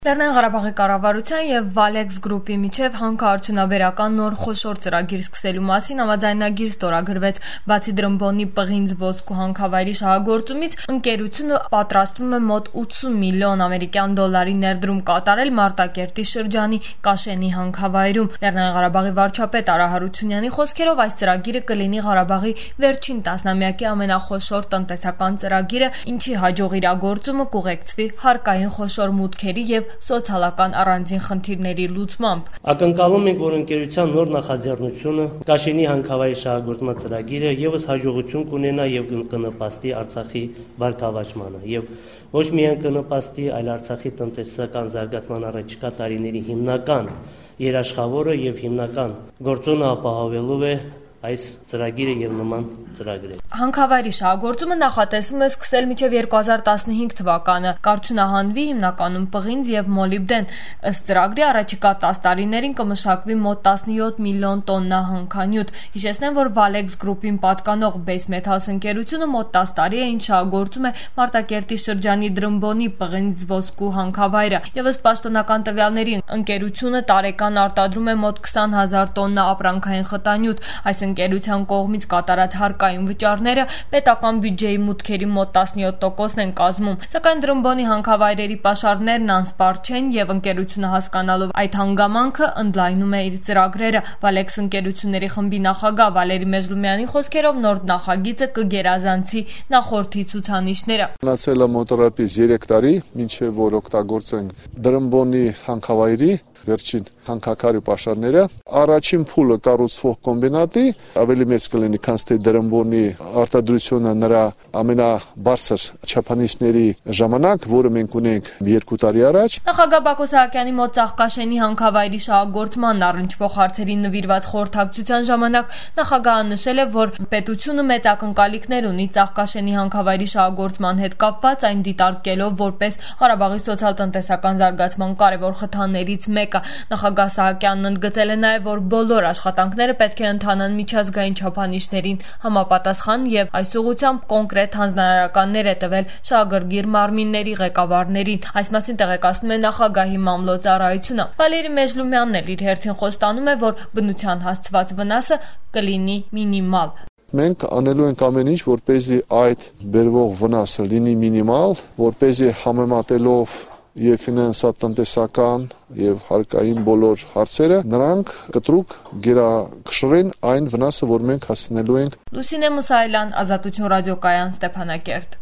Լեռնային Ղարաբաղի կառավարության եւ Valex Group-ի միջև հանքարդյունաբերական նոր խոշոր ծրագիր սկսելու մասին համաձայնագիր ստորագրվեց։ Բացի Դրամբոնի պղինձ ոսկու հանքավայրի շահագործումից, ընկերությունը պատրաստվում է մոտ 80 միլիոն ամերիկյան դոլարի ներդրում կատարել Մարտակերտի շրջանի Կաշենի հանքավայրում։ Լեռնային Ղարաբաղի վարչապետ Արա Հարությունյանի խոսքերով այս ծրագիրը կլինի Ղարաբաղի վերջին տասնամյակի ամենախոշոր տնտեսական ծրագիրը, ինչի հաջող իրագործումը կուղեկցվի հարկային խոշոր մուտքերի եւ սոցիալական առանձին խնդիրների լուծմամբ։ Ակնկալում ենք, որ ընկերության նոր նախաձեռնությունը Կաշենի հանքավայրի շահագործման ծրագիրը եւս հաջողություն կունենա եւ կնպաստի Արցախի բարգավաճմանը եւ ոչ միայն կնպաստի, այլ Արցախի տնտեսական զարգացման առաջիկա տարիների հիմնական երաշխավորը եւ հիմնական գործոնը ապահովելու է այս ծրագիրը եւ նման ծրագրեր։ Հանքավայրի շահագործումը նախատեսվում է սկսել մինչև 2015 թվականը, կարդյունահանվի հիմնականում պղինձ եւ մոլիբդեն։ Ըստ ծրագրի առաջիկա 10 տարիներին կմշակվի մոտ 17 միլիոն տոննա հանքանյութ։ Հիշեցնեմ, որ Valex Group-ին պատկանող Base Metals ընկերությունը մոտ 10 տարի է ինչ շահագործում է Մարտակերտի շրջանի Դրամբոնի պղինձ ոսկու հանքավայրը։ Եվ ըստ պաշտոնական տվյալների ընկերությունը տարեկան արտադրում է մոտ 20,000 տոննա ապրանքային խտանյութ։ Այս ընկերության կողմից կատարած հարկային վճարները պետական բյուջեի մուտքերի մոտ 17%-ն են կազմում, սակայն Դրամբոնի հանքավայրերի պաշարներն անսպառ չեն եւ ընկերությունը հասկանալով այդ հանգամանքը ընդլայնում է իր ծրագրերը։ Valex ընկերությունների խմբի նախագահ Վալերի Մեժլումյանի խոսքերով նոր նախագիծը կգերազանցի նախորդի ցուցանիշները։ Մնացել է մոտավորապես 3 տարի, մինչև որ օգտագործենք Դրամբոնի հանքավայրի վերջին հանքաքարի պաշարները։ Առաջին փուլը կառուցվող կոմբինատի ավելի մեծ կլինի, քան թե Դրամբոնի արտադրությունը նրա ամենաբարձր չափանիշների ժամանակ, որը մենք ունենք 2 տարի առաջ։ Նախագահ Բակո Սահակյանի մոտ Ծաղկաշենի հանքավայրի շահագործման առնչվող հարցերի նվիրված խորհրդակցության ժամանակ նախագահը նշել է, որ պետությունը մեծ ակնկալիքներ ունի Ծաղկաշենի հանքավայրի շահագործման հետ կապված, այն դիտարկելով որպես Ղարաբաղի սոցիալ-տնտեսական զարգացման կարևոր խթաններից մեկը։ Նախագահ Սահակյանն ընդգծել է նաև, որ բոլոր աշխատանքները պետք է ընթանան միջազգային չափանիշներին համապատասխան եւ այս ուղղությամբ կոնկրետ հանձնարարականներ է տվել շահագրգիռ մարմինների ղեկավարներին։ Այս մասին տեղեկացնում է նախագահի մամլոյցարայությունը։ Վալերի Մեժլումյանն էլ իր հերթին խոստանում է, որ բնության հասցված վնասը կլինի մինիմալ։ Մենք անելու ենք ամեն ինչ, որպեսզի այդ բերվող վնասը լինի մինիմալ, որպեսզի համեմատելով եւ ֆինանսատնտեսական եւ հարկային բոլոր հարցերը նրանք կտրուկ գերակշռեն այն վնասը, որ մենք հասցնելու ենք։ Լուսինե Մուսայելյան, Ազատություն ռադիոկայան, Ստեփանակերտ։